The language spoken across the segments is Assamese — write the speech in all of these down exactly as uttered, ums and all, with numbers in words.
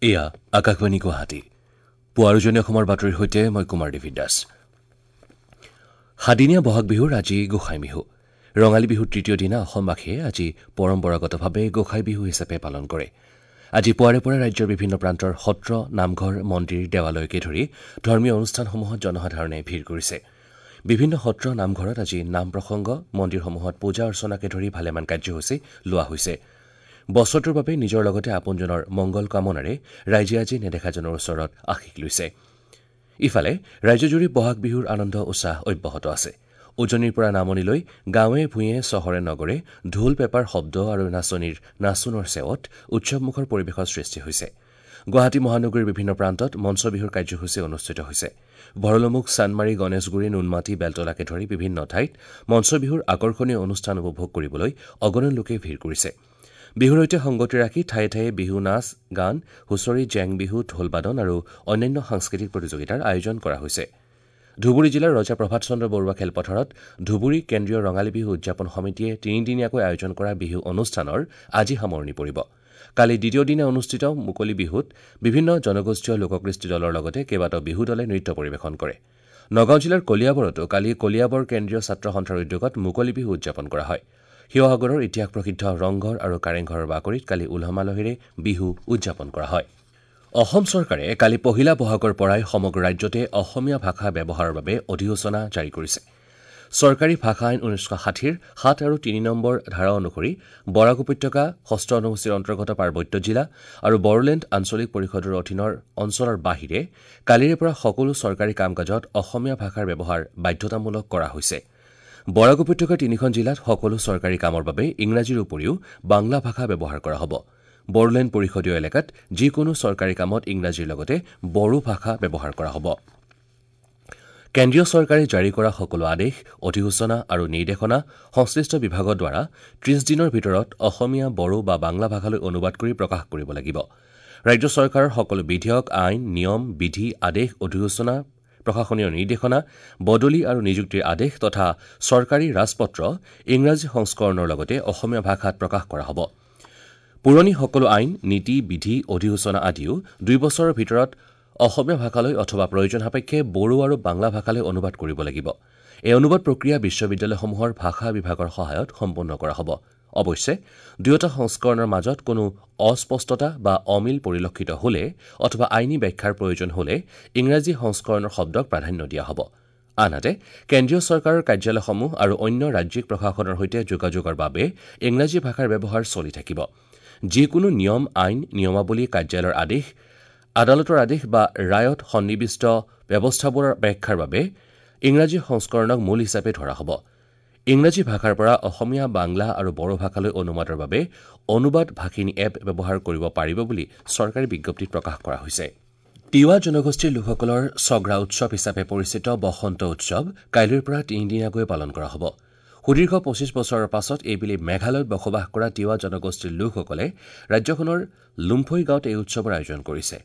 এয়া আকাশবাণী গুৱাহাটী। পুৱাৰ উজনি অসমৰ বাতৰিৰ সৈতে মই কুমাৰ ডেভিড দাস। সাদিনীয়া বহাগ বিহুৰ আজি গোসাই বিহু। ৰঙালী বিহুৰ তৃতীয় দিনা অসমবাসীয়ে আজি পৰম্পৰাগতভাৱে গোসাই বিহু হিচাপে পালন কৰে। আজি পুৱাৰে পৰা ৰাজ্যৰ বিভিন্ন প্ৰান্তৰ সত্ৰ, নামঘৰ, মন্দিৰ, দেৱালয়কে ধৰি ধৰ্মীয় অনুষ্ঠানসমূহত জনসাধাৰণে ভিৰ কৰিছে। বিভিন্ন সত্ৰ, নামঘৰত আজি নাম প্ৰসংগ, মন্দিৰসমূহত পূজা অৰ্চনাকে ধৰি ভালেমান কাৰ্যসূচী লোৱা হৈছে। বছৰটোৰ বাবে নিজৰ লগতে আপোনজনৰ মংগল কামনাৰে ৰাইজে আজি নেদেখাজনৰ ওচৰত আশীষ লৈছে। ইফালে ৰাজ্যজুৰি বহাগ বিহুৰ আনন্দ উৎসাহ অব্যাহত আছে। উজনিৰ পৰা নামনিলৈ গাঁৱে ভূঞে, চহৰে নগৰে ঢোল পেপাৰ শব্দ আৰু নাচনীৰ নাচোনৰ চেৱত উৎসৱমুখৰ পৰিৱেশৰ সৃষ্টি হৈছে। গুৱাহাটী মহানগৰীৰ বিভিন্ন প্ৰান্তত মঞ্চ বিহুৰ কাৰ্যসূচী অনুষ্ঠিত হৈছে। ভৰলুমুখ, চানমাৰী, গণেশগুৰি, নুনমাটি, বেলতলাকে ধৰি বিভিন্ন ঠাইত মঞ্চ বিহুৰ আকৰ্ষণীয় অনুষ্ঠান উপভোগ কৰিবলৈ অগণন লোকে ভিৰ কৰিছে। বিহুৰ সৈতে সংগতি ৰাখি ঠায়ে ঠায়ে বিহু নাচ গান, হুঁচৰি, জেং বিহু, ঢোলবাদন আৰু অন্যান্য সাংস্কৃতিক প্ৰতিযোগিতাৰ আয়োজন কৰা হৈছে। ধুবুৰী জিলাৰ ৰজা প্ৰভাত চন্দ্ৰ বৰুৱা খেলপথাৰত ধুবুৰী কেন্দ্ৰীয় ৰঙালী বিহু উদযাপন সমিতিয়ে তিনিদিনীয়াকৈ আয়োজন কৰা বিহু অনুষ্ঠানৰ আজি সামৰণি পৰিব। কালি দ্বিতীয় দিনা অনুষ্ঠিত মুকলি বিহুত বিভিন্ন জনগোষ্ঠীয় লোককৃষ্টি দলৰ লগতে কেইবাটাও বিহু দলে নৃত্য পৰিৱেশন কৰে। নগাঁও জিলাৰ কলিয়াবৰতো কালি কলিয়াবৰ কেন্দ্ৰীয় ছাত্ৰ সন্থাৰ উদ্যোগত মুকলি বিহু উদযাপন কৰা হয়। শিৱসাগৰৰ ইতিহাস প্ৰসিদ্ধ ৰংঘৰ আৰু কাৰেংঘৰৰ বাকৰিত কালি উলহ মালহেৰে বিহু উদযাপন কৰা হয়। অসম চৰকাৰে কালি পহিলা বহাগৰ পৰাই সমগ্ৰ ৰাজ্যতে অসমীয়া ভাষা ব্যৱহাৰৰ বাবে অধিসূচনা জাৰি কৰিছে। চৰকাৰী ভাষা আইন ঊনৈছশ ষাঠিৰ সাত আৰু তিনি নম্বৰ ধাৰা অনুসৰি বৰাক উপত্যকা, ষষ্ঠ অনুসূচীৰ অন্তৰ্গত পাৰ্বত্য জিলা আৰু বড়োলেণ্ড আঞ্চলিক পৰিষদৰ অধীনৰ অঞ্চলৰ বাহিৰে কালিৰে পৰা সকলো চৰকাৰী কাম কাজত অসমীয়া ভাষাৰ ব্যৱহাৰ বাধ্যতামূলক কৰা হৈছে। বৰাক উপত্যকাৰ তিনিখন জিলাত সকলো চৰকাৰী কামৰ বাবে ইংৰাজীৰ উপৰিও বাংলা ভাষা ব্যৱহাৰ কৰা হ'ব। বড়োলেণ্ড পৰিষদীয় এলেকাত যিকোনো চৰকাৰী কামত ইংৰাজীৰ লগতে বড়ো ভাষা ব্যৱহাৰ কৰা হ'ব। কেন্দ্ৰীয় চৰকাৰে জাৰি কৰা সকলো আদেশ, অধিসূচনা আৰু নিৰ্দেশনা সংশ্লিষ্ট বিভাগৰ দ্বাৰা ত্ৰিশ দিনৰ ভিতৰত অসমীয়া, বড়ো বা বাংলা ভাষালৈ অনুবাদ কৰি প্ৰকাশ কৰিব লাগিব। ৰাজ্য চৰকাৰৰ সকলো বিধেয়ক, আইন, নিয়ম, বিধি, আদেশ, অধিসূচনা, প্ৰশাসনীয় নিৰ্দেশনা, বদলি আৰু নিযুক্তিৰ আদেশ তথা চৰকাৰী ৰাজপত্ৰ ইংৰাজী সংস্কৰণৰ লগতে অসমীয়া ভাষাত প্ৰকাশ কৰা হ'ব। পুৰণি সকলো আইন, নীতি, বিধি, অধিসূচনা আদিও দুই বছৰৰ ভিতৰত অসমীয়া ভাষালৈ অথবা প্ৰয়োজন সাপেক্ষে বড়ো আৰু বাংলা ভাষালৈ অনুবাদ কৰিব লাগিব। এই অনুবাদ প্ৰক্ৰিয়া বিশ্ববিদ্যালয়সমূহৰ ভাষা বিভাগৰ সহায়ত সম্পন্ন কৰা হ'ব। অৱশ্যে দুয়োটা সংস্কৰণৰ মাজত কোনো অস্পষ্টতা বা অমিল পৰিলক্ষিত হ'লে অথবা আইনী ব্যাখ্যাৰ প্ৰয়োজন হ'লে ইংৰাজী সংস্কৰণৰ শব্দক প্ৰাধান্য দিয়া হ'ব। আনহাতে কেন্দ্ৰীয় চৰকাৰৰ কাৰ্যালয়সমূহ আৰু অন্য ৰাজ্যিক প্ৰশাসনৰ সৈতে যোগাযোগৰ বাবে ইংৰাজী ভাষাৰ ব্যৱহাৰ চলি থাকিব। যিকোনো নিয়ম, আইন, নিয়মাৱলী, কাৰ্যালয়ৰ আদেশ, আদালতৰ আদেশ বা ৰায়ত সন্নিৱিষ্ট ব্যৱস্থাবোৰৰ ব্যাখ্যাৰ বাবে ইংৰাজী সংস্কৰণক মূল হিচাপে ধৰা হ'ব। ইংৰাজী ভাষাৰ পৰা অসমীয়া, বাংলা আৰু বড়ো ভাষালৈ অনুবাদৰ বাবে অনুবাদ ভাষিণী এপ ব্যৱহাৰ কৰিব পাৰিব বুলি চৰকাৰী বিজ্ঞপ্তিত প্ৰকাশ কৰা হৈছে। তিৱা জনগোষ্ঠীৰ লোকসকলৰ চগ্ৰা উৎসৱ হিচাপে পৰিচিত বসন্ত উৎসৱ কাইলৈৰ পৰা তিনিদিনীয়াকৈ পালন কৰা হ'ব। সুদীৰ্ঘ পঁচিছ বছৰৰ পাছত এইবেলি মেঘালয়ত বসবাস কৰা তিৱা জনগোষ্ঠীৰ লোকসকলে ৰাজ্যখনৰ লুম্ফৈ গাঁৱত এই উৎসৱৰ আয়োজন কৰিছে।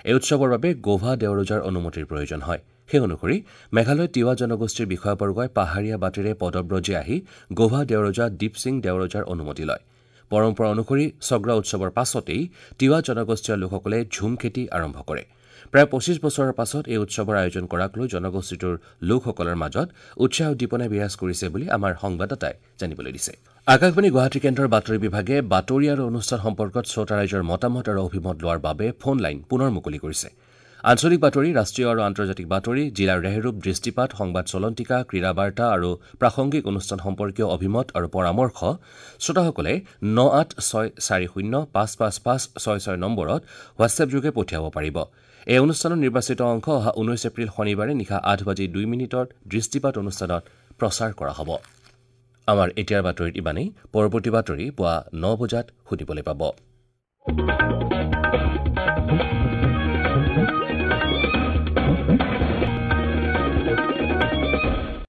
এই উৎসৱৰ বাবে গোভা দেওৰজাৰ অনুমতিৰ প্ৰয়োজন হয়। সেই অনুসৰি মেঘালয়ত তিৱা জনগোষ্ঠীৰ বিষয়াবৰ্গই পাহাৰীয়া বাটেৰে পদব্ৰজে আহি গোভা দেওৰজা দীপসিং দেওৰজাৰ অনুমতি লয়। পৰম্পৰা অনুসৰি চগ্ৰা উৎসৱৰ পাছতেই তিৱা জনগোষ্ঠীয় লোকসকলে ঝুম খেতি আৰম্ভ কৰে। প্ৰায় পঁচিছ বছৰৰ পাছত এই উৎসৱৰ আয়োজন কৰাক লৈ জনগোষ্ঠীটোৰ লোকসকলৰ মাজত উৎসাহ উদ্দীপনাই বিৰাজ কৰিছে বুলি আমাৰ সংবাদদাতাই জানিবলৈ দিছে। আকাশবাণী গুৱাহাটী কেন্দ্ৰৰ বাতৰি বিভাগে বাতৰি আৰু অনুষ্ঠান সম্পৰ্কত শ্ৰোতা ৰাইজৰ মতামত আৰু অভিমত লোৱাৰ বাবে ফোন লাইন পুনৰ মুকলি কৰিছে। আঞ্চলিক বাতৰি, ৰাষ্ট্ৰীয় আৰু আন্তৰ্জাতিক বাতৰি, জিলাৰ ৰেহৰূপ, দৃষ্টিপাত, সংবাদ চলন্তিকা, ক্ৰীড়া বাৰ্তা আৰু প্ৰাসংগিক অনুষ্ঠান সম্পৰ্কীয় অভিমত আৰু পৰামৰ্শ শ্ৰোতাসকলে ন আঠ ছয় চাৰি শূন্য পাঁচ পাঁচ পাঁচ ছয় ছয় নম্বৰত হোৱাটছএপযোগে পঠিয়াব পাৰিব। এই অনুষ্ঠানৰ নিৰ্বাচিত অংশ অহা ঊনৈছ এপ্ৰিল শনিবাৰে নিশা আঠ বাজি দুই মিনিটত দৃষ্টিপাত অনুষ্ঠানত প্ৰচাৰ কৰা হ'ব। আমাৰ এতিয়াৰ বাতৰিত ইমানেই। পৰৱৰ্তী বাতৰি পুৱা ন বজাত শুনিবলৈ পাব।